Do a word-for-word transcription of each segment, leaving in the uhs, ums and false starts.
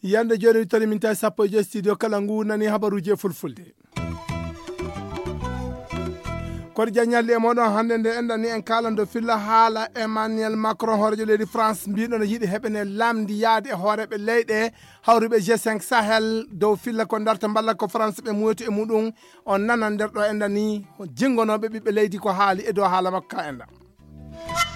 Yande joni wittori min tawi sappo e joyi studio kala ngu nani habaruji e fulfulde. Kono jañalli e moɗon hannde nde enɗan ni en kaalando filla haala Emmanuel Macron hoorejo leydi France mbiɗo no yiɗi heɓene lamndi yaade e hooreɓe leyɗe hawruɓe G cinq Sahel dow filla ko darta mballa ko France ɓe muyoto e muɗum. On nana nder ɗo enɗan ni jingonoɓe ɓiɓɓe leydi ko haali e dow haala makko ka enɗan.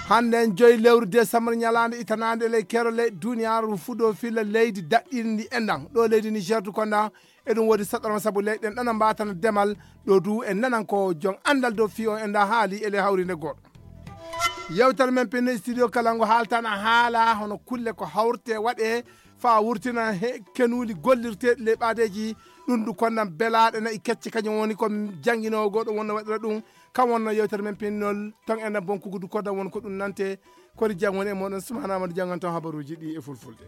Hannde en joyi lewru décembre ñalaande itanaande ley kero ley duniyaaru fudo filla leydi daɗɗiindi enɗan ɗo leydi Niger du konda. Eɗum woodi saɗɗorma sabu leyɗen ɗana mbatana demal ɗo du en nanan ko jon anndal dow fiyo enɗan haali e ley hawrinde goɗɗo. Yewtere men pinno studio kala ngo haaltana haala hono kulle ko hawrte waɗe faa wurtina he kenuuli gollirteeɗi ley ɓaadeeji. Ɗum du konnan belaaɗe nayi kecce kañum woni ko jannginoowo goɗɗo wonno waɗira ɗum. Kam wonno yewtere men pinnol ton enɗan bonkugu du koddan won ko ɗum nante. Kori jang woni e moɗon sumana amadu janngan ton habaruuji ɗi e fulfulde.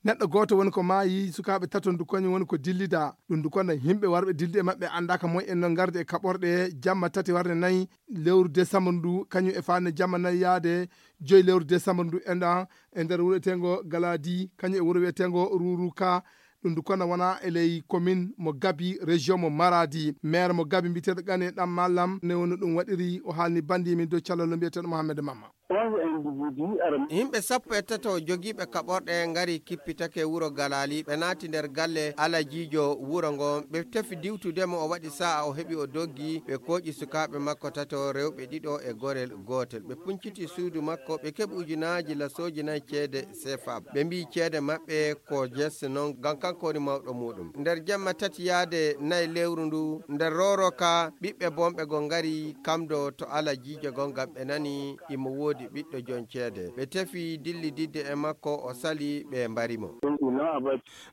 Neɗɗo gooto woni ko maayi sukaaɓe taton du kañum woni ko dillida ɗum du konnan yimɓe warɓe dilde e maɓɓe anndaaka moy en noon ngarde e kaɓorɗe jamma tati warde nayi lewru décembre ndu kañum e faande jamma nayi yaade joyi lewru décembre ndu enɗan e nder wuro wiyeteengo Galadi kañum e wuro wiyeteengo Ruruka. Ɗum du kona wona e ley commune mo Gabi région mo Maradi maire mo Gabi mbiyeteeɗo Gane Ɗam Mallam ne woni ɗum waɗiri o haalni bandi min dow callallo mbiyeteeɗo Mohamed Mamma. Yimɓe sappo e tato jogiiɓe kaɓorɗe ngari kippitake wuro Galali ɓe naati nder galle alajiijo wuro ngon ɓe tefi diwtude mo o waɗi sa'a o heɓi o doggi ɓe kooƴi sukaaɓe makko tato rewɓe ɗiɗo e gorel gootel ɓe punciti suudu makko ɓe keɓi ujunaaji lasooji nayi ceede sefa ɓe mbiyi ceede maɓɓe ko jesse noon ngam kanko woni mawɗo muɗum nder jamma tati yaade nayi lewru ndu nder roroka ɓiɓɓe bonɓe go ngari kamdo to alajiijo gon ngam ɓe nani imo woodi ɓiɗɗo jon ceede ɓe tefi dillididde e makko o sali ɓe mbari mo.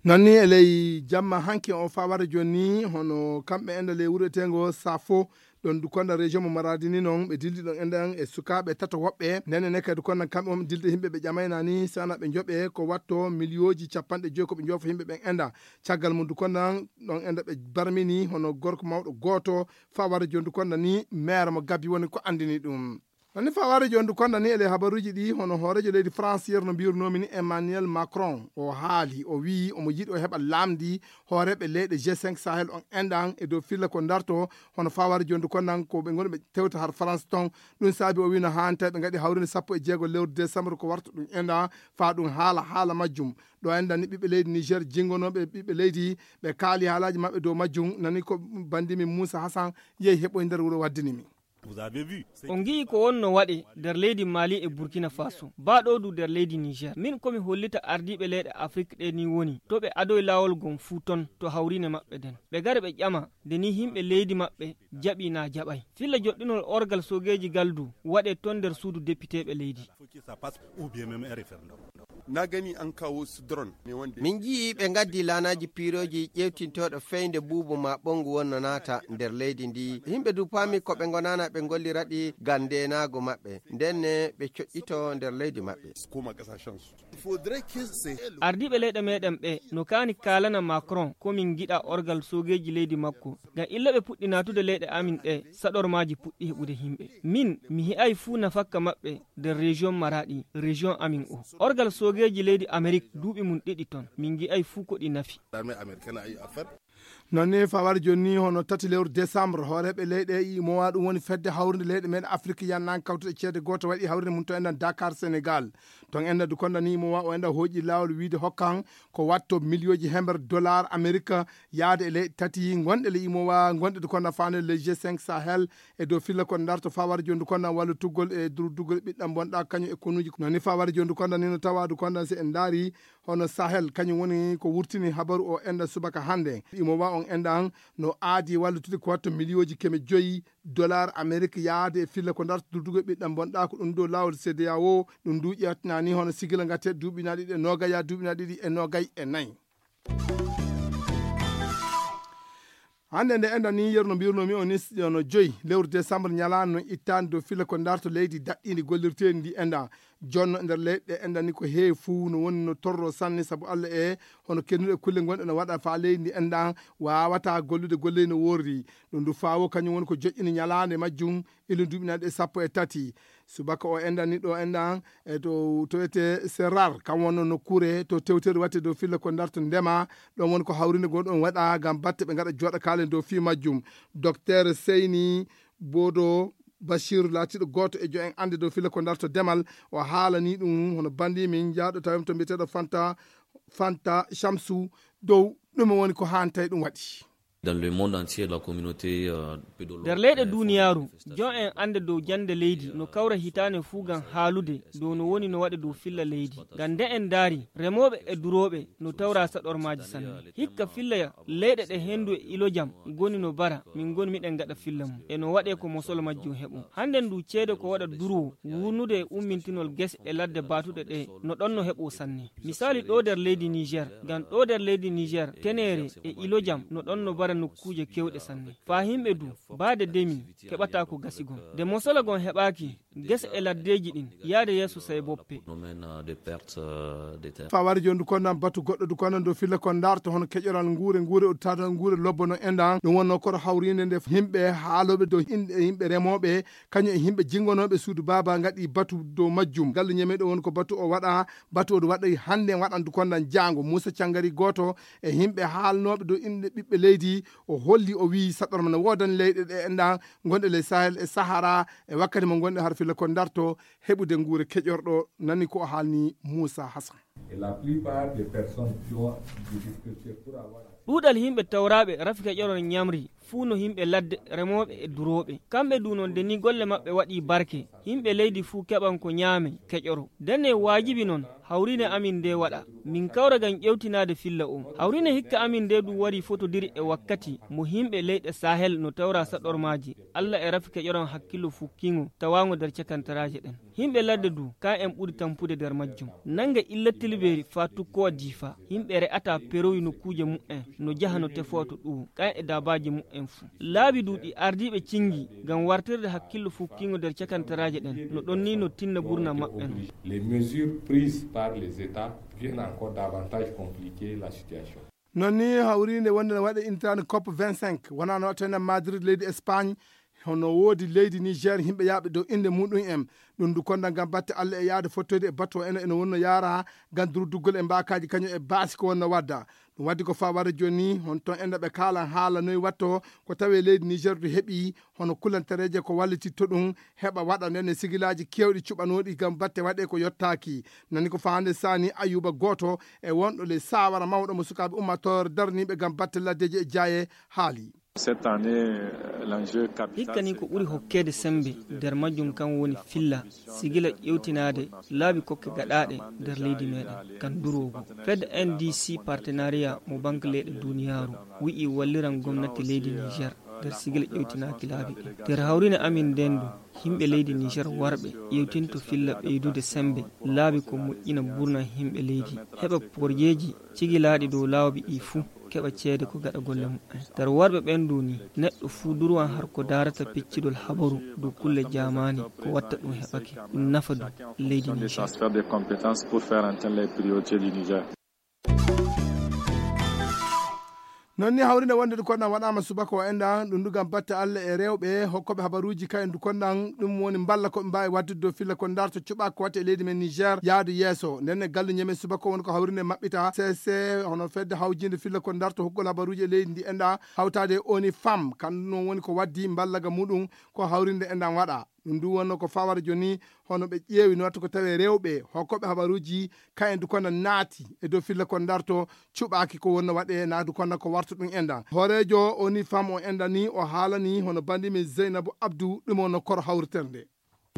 Nanni e ley jamma hanki o fawara joni hono kamɓe enda ley wuro etengo safo ɗon du konda région mo Maradi ni non ɓe dildi ɗon enda e sukaɓe tato woɓɓe nene ne kadi konda kamɓe on dilde himɓe ɓe ƴamayna ni sana ɓe joɓe ko watto miliyooji capanɗe joyi ko ɓe jofa himɓe ɓen enda caggal mum du konda ɗon enda ɓe barmini hono gorko mawɗo goto fawara joni du konda ni maire mo Gabi woni ko andini ɗum. Nani faware joni du konda ni e ley habaruji ɗi hono hoorejo leydi France yerno mbirnomi ni Emmanuel Macron o haali o wiyi omo yiɗi o heɓa lamdi hooreɓe leyɗe G cinq Sahel on enɗan e dow filla ko darto hono faware joni du kondan ko ɓe goni ɓe tewta har France ton. Ɗum saabi o wino hani tawi ɓe gaɗi hawrinde sappo e jeego lewru décembre ko warta ɗum enɗan fa ɗum haala haala majjum. Ɗo enɗan ni ɓiɓɓe leydi Niger jingonoɓe ɓiɓɓe leydi ɓe kaali haalaji maɓɓe dow majjum nani ko bandimi Moussa Hassan yehi heɓoy nder wuro waddinimi. On ngi'i ko wonno waɗe nder leydi Mali e Burkina Faso. Baa ɗo du nder leydi Niger. Min ko mi hollita ardiiɓe leyɗe Afrik ɗe ni woni to ɓe adoy laawol gom fuu ton to hawriine maɓɓe nden. Ɓe gare ɓe ƴama nde ni yimɓe leydi maɓɓe jaɓi naa jaɓay. Filla joɗɗinol orgal soogeeji gal du waɗe ton nder suudu depiteeɓe leydi. Na gani an kawo su drone. Min nji'i ɓe ngaddi laanaaji piirooji ƴeewtintooɗo feynde buubu maa ɓonngu wonno naata nder leydi ndi. Yimɓe du paami ko ɓe ngonaana ɓe ngollira ɗi ngam ndeenaagu maɓɓe. Ndenne ɓe coƴƴito nder leydi maɓɓe. Ardiiɓe leyɗe meɗen ɓe no kaani kaalana Macron ko min ngiɗa orgal soogeeji leydi makko. Ngam illa ɓe puɗɗi naatude leyɗe amin ɗe saɗormaaji puɗɗi heɓude yimɓe. Min mi he'ay fuu nafakka maɓɓe nder région Maraɗi, région amin o. Orgal soogeeji leydi Amerik duuɓi mum ɗiɗi ton, min ngi'ay fuu ko ɗi nafi. Non ni fawar jonni hono tati lewru décembre hooreɓe leyɗe imowa ɗum woni fedde hawrinde leyɗe men Afrique yannan kawtuɗe ceede gooto waɗi hawrinde mum to enɗan Dakar Sénégal. Ton enɗan du konda ni imowa o enɗan hooƴi laawol wiide hokkan ko watto miliyooji hember dollar Amerique yaade e leyɗe tati gonɗe le imowa gonɗe du konda faande le G cinq Sahel e dow filla kon darto fawar jonni du konda wallu tuggol e durduggol ɓiɗɗan bonɗa kañum e konuuji non ni fawar jonni du konda ni no tawa du konda si en ndaari hono Sahel kañum woni ko wurtini habaru o enɗan subaka hannde. Imo wa on enɗan no aadi wallutude ko watto miliyooji keme joyi dollar Amerique yaade e filla ko darta durdugo ɓiɗɗan bonɗa ko ɗum dow laawol C D A O ɗum du ƴeewtinani hono sigila ngate duuɓi na ɗiɗi e noogay ya duuɓi na ɗiɗi e noogay e nayi. Hannde nde enɗan ni, yeru no mbirunoo mi on ni, no joyi lewru décembre, ñalaande no ittaande dow filla ko ndarto leydi daɗɗiindi gollirteeɗi ndi enɗan. Jonno e nder leyɗe ɗe enɗan ni ko heewi fuu no woni no torroo sanne, sabu Alla e hono kennuɗe kulle gonɗe no waɗa faa leydi ndi enɗan waawataa gollude golle no woorri. Ɗum ndu faawo kañum woni ko joƴƴini ñalaande majjum, ilo duuɓi nayi ɗe sappo e tati. Subaka o enɗan ni ɗo enɗan e to, to wiyetee Serrar, kam wonno nokkuure to tewtere waɗte dow filla ko ndarto ndema. Ɗon woni ko hawrinde gonɗon waɗa ngam batte ɓe ngaɗa jooɗa kaalen dow fii majjum. Docteur Seyni Bodo Bachir, laatiiɗo gooto e jo en annde dow filla ko ndarto demal, o haalanii ɗum hono banndi min jaaɗo tawim to mbiyeteeɗo Fanta, Fanta Shamsu, dow ɗum woni ko haantay ɗum waɗi. Dans le monde entier, la communauté, euh, pédologue, nder leyɗe euh, duuniyaaru, font des jon en annde dow jannde leydi no kawra hitaande fuu ngam haalude dow no woni no waɗe dow filla leydi. Ngam nde en ndaari, remooɓe e durooɓe no tawra saɗormaaji sanne. Hikka filla leyɗe ɗe henndu e ilojam ngoni no bara, min ngoni miɗen ngaɗa filla mum. E no waɗee ko mosol majjum heɓo. Hannden ndu ceede ko waɗa durwo, wuurnude e ummintinol gese e ladde baatuɗe ɗe, no ɗon no heɓo sanne. Misaali ɗo nder leydi Niger, ngam ɗo nder leydi Niger, teneere e ilojam no ɗon no bara nokkuuje kewɗe sanne. Faa himɓe du, baade demi, keɓataa ko gasi gon. Nde mosola gon heɓaaki, gese e laddeeji ɗin, yaade yeeso sey boppe. Phénomène, euh, de perte, euh, de terre. Faa wari jooni du konnan batu goɗɗo du konnan dow filla kon ndarto hono keƴoral nguure, nguure udditaade nguure lobbo no enɗan. Ɗum wonnoo koto hawriinde nde himɓe haalooɓe dow inɗe himɓe remooɓe, kañum e himɓe jinngonooɓe suudu baaba ngaɗi batu dow majjum. Ngallu ñameeɗo woni ko batu o waɗa, batu o waɗa hannde waɗan du konnan jaango. Muusa Cangari gooto e himɓe haalnooɓe dow inɗe ɓiɓɓe leydi, o holli o wiyi saɗorma no woodani leyɗe ɗe enɗan gonɗe ley Sahel e Sahara e wakkati mo gonɗe har filla kon ndarto heɓude nguure keƴorɗo, nani ko o haalni Muusa Hasan. Et la plupart des personnes qui ont des difficultés pour avoir accès. Ɗuuɗal yimɓe tawraaɓe rafi keƴoron ñamri fuu no yimɓe ladde, remooɓe e durooɓe. Kamɓe du non, nde ni golle maɓɓe waɗi barke, yimɓe leydi fuu keɓan ko ñaame keƴoro. Ndenne waajibi non, hawriine amin nde waɗa. Min kawra ngam ƴewtinaade filla o. Hawriine hikka amin nde du wari fotodiri e wakkati mo yimɓe leyɗe Sahel no tawra saɗormaaji. Alla e rafi keƴoron hakkillo fukkiingo tawaango nder cakantaraaje ɗen. Yimɓe ladde du, ka en ɓuri tampude nder majjum. Nanga illa Tilberi faa tukkowa Diifa. Yimɓe re'ata perowi nokkuuje mu'en, no jaha no tefowa to ɗuwo. Ka e daabaaji mu'en fuu. Laabi du ɗi ardiiɓe cingi ngam wartirde hakkillo fukkiingo nder cakantaraaje ɗen. No ɗon ni no tinna burna maɓɓe non. Les mesures prises par les États viennent encore davantage compliquer la situation. Non ni hawriinde wonde no waɗe intaane cop vingt-cinq, wonaa no waɗtene Madrid leydi Espagne, hono woodi leydi Niger, yimɓe yaaɓe dow innde muɗum en. Ɗum du konda ngam batte Alla e yaade fottoyde e bato eno, eno wonno yaara ngam durduggol e mbaakaaji kañum e baasi ko wonno wadda. Ɗum waddi ko faa wara jooni, hon ton enda ɓe kaalan haala noy watto, ko tawee leydi Niger du heɓi hono kulantareeje ko wallititto ɗum, heɓa waɗa nden e sigilaaji keewɗi cuɓanooɗi ngam batte waɗee ko yottaaki. Nani ko faa hannde saani Ayuba gooto e wonɗo ley saawara mawɗo mo sukaaɓe ummaatoore darniiɓe ngam batte laddeeji e jaaye haali. Cette année, l'enjeu capital, hikka ni ko ɓuri hokkeede sembe nder majjum kan woni filla, sigila ƴewtinaade laabi kokke gaɗaaɗe nder leydi meɗen kan duroogo. Fed N D C partenariat mo Banque leyɗe duniyaaru wi'i walliran gomnati leydi Niger nder sigila ƴewtinaaki laabi ɗin. Nder hawrine amin nden du, yimɓe leydi Niger warɓe ƴewtinto filla ɓeydude sembe laabi ko moƴƴina burna yimɓe leydi, heɓa porjeeji cigilaaɗi dow laabi ɗi fuu, keɓa ceede ko gaɗa golle mu'en. Nder warɓe ɓen du ni, neɗɗo fuu durwan har ko daarata peccidol habaru dow kulle jaamaani ko watta ɗum heɓake, ɗum nafa du leydi Niger. Transfert de compétences pour faire entendre les priorités du Niger. Non ni hawrinde wonde du konnan waɗaama subaka o enɗan ɗum du ngam batte Alla e rewɓe hokkooɓe habaruuji kayen du konnan ɗum woni mballa ko ɓe mbaawi waɗdude dow filla ko ndarto cuɓaako ko watte e leydi men Niger yaadu yeeso. Nden e gallu ñamen subaka woni ko hawrinde maɓɓita C C, hono fedde hawjinde filla ko ndarto hokkugol habaruuji e leydi ndi enɗan hawtaade e ONU Femme, kandu non woni ko waddi mballaga muɗum ko hawrinde enɗan waɗa. Ɗum du wonno ko fawara jooni, hono ɓe ƴeewi no watta ko tawee rewɓe hokkooɓe habaruuji kayen du konnan naati e dow filla kon ndarto cuɓaaki ko wonno waɗee naa du konnan ko warta ɗum enɗan. Hooreejo ONU Femme o enɗan ni o haalani hono banndi men Zeynabu Abdu ɗum wonno koro hawritere nde.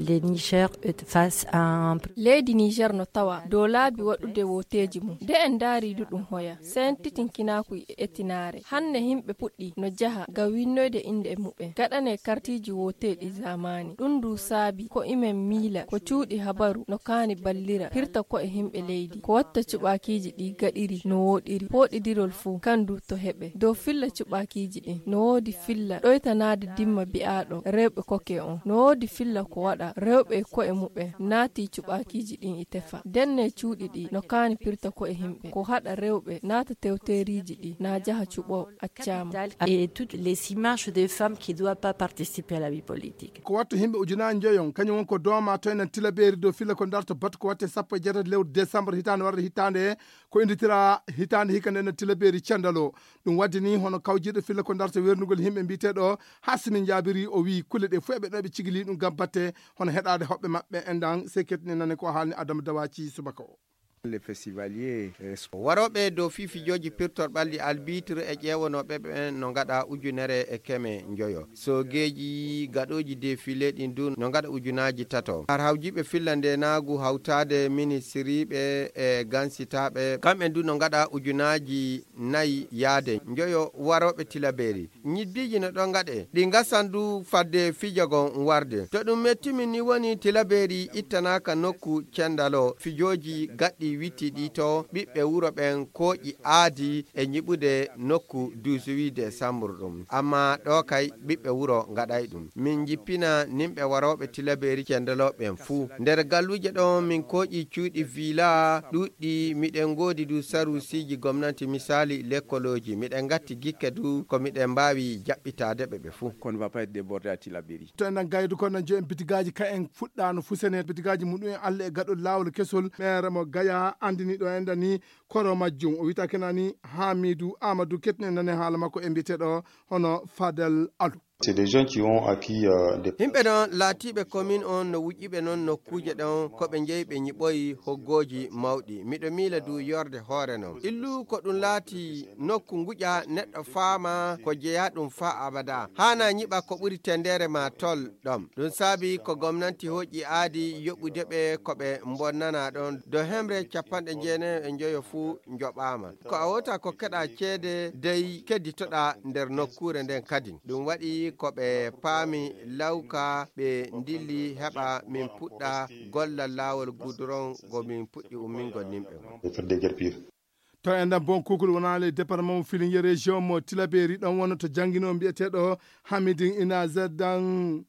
Le Niger est face à un... Leydi Niger no tawa dow laabi waɗude wooteeji mum. Nde en ndaari du ɗum hoya, seentinkinaaku e etinaare. Hannde yimɓe puɗɗi no jaha ga winnoyde innde muɓɓen, gaɗane kartiiji wooteeɗi zamani. Ɗum du saabi ko imen miila ko cuuɗi habaru no kaani ballira, pirta ko e yimɓe leydi. Ko watta cuɓaakiiji ɗi gaɗiri no wooɗiri, pooɗidirol fuu, kan du to heɓe. Dow filla cuɓaakiiji ɗin, no woodi filla ɗoytanaade dimma bi'aaɗo rewɓe koke on. No woodi filla ko waɗa rewɓe e ko'e muɓɓen naati cuɓaakiiji ɗin e tefa. Denne cuuɗi ɗi no kaani pirta ko e yimɓe. Ko haɗa rewɓe naata tewteeriiji ɗi, na jaha cuɓo accaama. Et toutes les images des femmes qui doivent pas participer à la vie politique. Ko wattu yimɓe ujunaaji njoyon, kañum won ko dooma to enen Tilabeeri dow filla ko darto batu ko watte sappo e jeetati lewru décembre hitaande warde hitaande, ko innditira hitaande hikka nde enen Tilabeeri cendalo. Ɗum wadde ni hono kawjiiɗo filla ko darto wernugol yimɓe mbiyeteeɗo Hasimi Jaabiri, o wiyi kulle ɗe fof eɓe ɗo ɓe cigili ɗum gam batte hono heɗaade hoɓɓe maɓɓe enɗan sekket ni nane ko haalni Adama Dawaci subaka o. Les festivaliers, eh, so- Warooɓe dow fii fijooji pirtorɓalɗi albitre e ƴeewanooɓe ɓen no ngaɗa ujunere e keme njoyo. Soogeeji gaɗooji defile ɗin dun no ngaɗa ujunaaji tato. Har hawjiiɓe filla ndeenaagu hawtaade ministiriiɓe e gansitaaɓe, kamɓe dun no ngaɗa ujunaaji nayi yaade njoyo warooɓe Tilabeeri. Ñiddiiji no ɗon ngaɗe, ɗi ngasan du fadde fijagon warde. To ɗum mettimi ni woni Tilabeeri ittanaaka nokku cendalo fijooji gaɗɗi witti ɗi to ɓiɓɓe wuro ɓen kooƴi aadi e ñiɓude nokku dix-huit décembre ɗum. Amma ɗo kay ɓiɓɓe wuro ngaɗay ɗum. Min jippina nimɓe warooɓe Tilabeeri cendalo ɓen fuu. Nder galluuje ɗon min kooƴi cuuɗi villa ɗuɗɗi, miɗen ngoodi du sarusiiji gomnati, misaali lekkolooji. Miɗen ngatti gikke du ko miɗen mbaawi jaɓɓitaade ɓe ɓe fuu. Qu'on ne va pas être débordé à Tilaberi. To enen gaydu ko enen joyen bitigaaji ka en fuɗɗaano fusene bitigaaji muɗum en Allah e gaɗol laawol kesol. Meere mo Gaya anndini ɗo enɗan ni koro majjum. O wiyata kenani Hamidu Amadou ketni en nane haala makko e mbiyeteeɗo hono Fadel Alu. C'est des gens qui ont acquis, euh, des... Yimɓe ɗon laatiiɓe commune on no wuƴƴiɓe non nokkuuje ɗon ko ɓe njeyi ɓe ñiɓoyi hoggooji mawɗi. Miɗo miila du yorde hoore non. Illu ko ɗum laati nokku nguƴa neɗɗo faama ko jeyaa ɗum faa abada. Haana ñiɓa ko ɓuri tendeere ma tol ɗon. Ɗum saabi ko gomnanti hoƴƴi aadi yoɓude ɓe ko ɓe bonnana ɗon. Do hemre capanɗe jeenayi e njoyo fuu njoɓaama. Ko a wota ko keɗa ceede dey kedditoɗa nder nokkuure nden kadin. Ɗum waɗi ko ɓe paami lawka ɓe ndilli heɓa min puɗɗa gollal laawol guduron go min puɗɗi ummingol nimɓe ngon. Des fêtes de guerre pire. To enɗan bon kukul wonaa le département mo Filinge région mo Tilaberi ɗon wonno to jannginoo mbiyeteeɗo Hamidin Ina Zeddan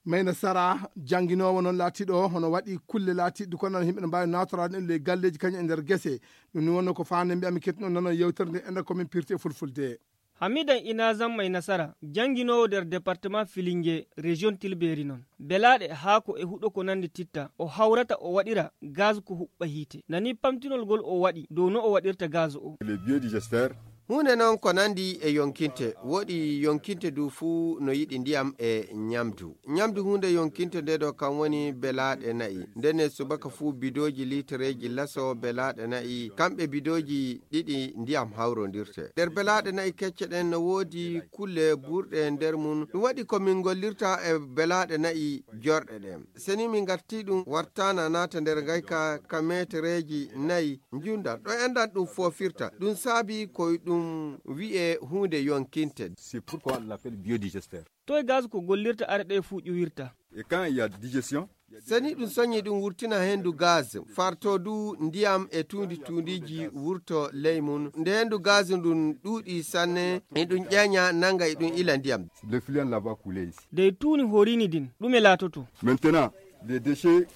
Mayna Sara jannginoowo noon laatiiɗo hono waɗi kulle laatiiɗe ko noon yimɓe no mbaawi nawtoraade ɗum ley galleeji kañum e nder gese. Ɗum ni wonno ko faande mbiyami ketino noon yewtere nde enɗan ko min pirti e fulfulde. Hamidan Inazam May Nasara, jannginoowo nder département Filinge, région Tilberi noon. Belaaɗe, haako e huɗo ko nanndi titta, o hawrata o waɗira gaz ko huɓɓa hiite. Nani pamtinol ngol o waɗi dow no o waɗirta gaz o. Le biodigesteur. Huunde noon ko nanndi e yonkinte, woɗi yonkinte du fuu no yiɗi ndiyam e ñamdu. Ñamdu huunde yonkinte nde ɗo kam woni belaaɗe na'i. Ndenne subaka fuu bidooji liitereeji laso belaaɗe na'i, kamɓe bidooji ɗiɗi ndiyam hawrondirte. Nder belaaɗe na'i kecce ɗen no woodi kulle burɗe nder mum. Ɗum waɗi ko min ngollirta e belaaɗe na'i jorɗe ɗen. Seni min ngarti ɗum wartaana naata nder ngayka ka meetereeji nayi njundal. Ɗo enɗan ɗum foofirta. Ɗum saabi ko ɗum wi'e huunde yonkinte. C'est pourquoi on l'appelle biodigesteur. Toye gaz ko gollirta are ɗe fuu ƴuwirta? Et quand il y a digestion, seni ɗum soñi ɗum wurtina henndu gaz, farto du ndiyam e tuundi tuundiiji wurto ley mum. Nde henndu gaz ndun ɗuuɗi sanne, e ɗum ƴeeña nanga e ɗum ila ndiyam. Le fluent là-bas coulé ici. Dey tuuni horini din, ɗume laatoto? Maintenant, les déchets.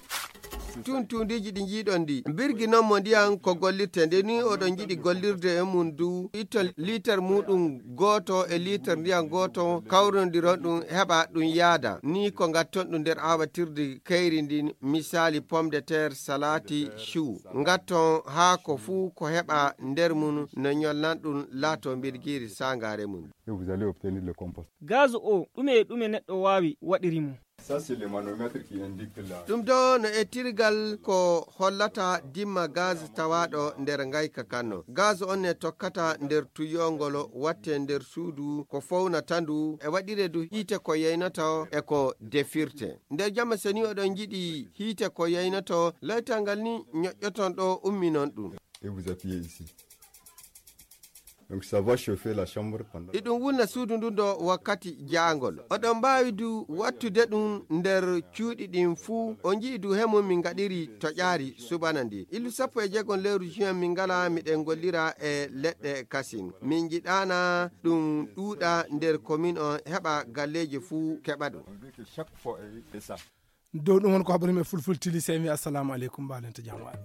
Tun tuundiiji ɗi njiiɗon ɗi. Birgi noon mo ndiyam ko gollirte. Nde ni oɗon njiɗi gollirde e mum du, itton liitar muuɗum gooto e liitar ndiyam gooto, kawrondiron ɗum, heɓa ɗum yaada. Ni ko ngatton ɗum nder aawatirdi kayri ndin, misaali pomme de terre, salati, chou. Ngatton haako fuu ko heɓa nder mum no ñolnan ɗum laato mbirgiiri saangaare mum. Et vous allez obtenir le compost. Gaz o, ɗume e ɗume neɗɗo waawi waɗiri mo? Ça, c'est le manomètre qui indique la. Ɗum ɗo no ettirgal ko hollata dimma gaz tawaaɗo nder ngayka kanno. Gaz on ne tokkata nder tuyongol watte nder suudu ko fownata ndu e waɗire du hiite ko yeynoto e ko defirte. Nder jamma so ni oɗon njiɗi hiite ko yeynoto, laytal ngal ni ñoƴƴoton ɗo umminon ɗum. Et vous appuyez ici. Donc ça va chauffer la chambre pendant. Iɗum wulna suudu ndun ɗo wakkati jaangol. Oɗon mbaawi du wattude ɗum nder cuuɗi ɗin fuu. O nji'i du hemum min ngaɗiri toƴaari subana ndi. Illu sappo e jeegom lewru juin min ngala miɗen gollira e leɗɗe kasin. Min njiɗaana ɗum ɗuuɗa nder komin on heɓa galleeji fuu keɓa ɗum. On veut que chaque fois, eh, c'est ça. Dow ɗum won ko haɓri men fulfultili, sey mi assalamu aleykum, mbaalen to jam waali.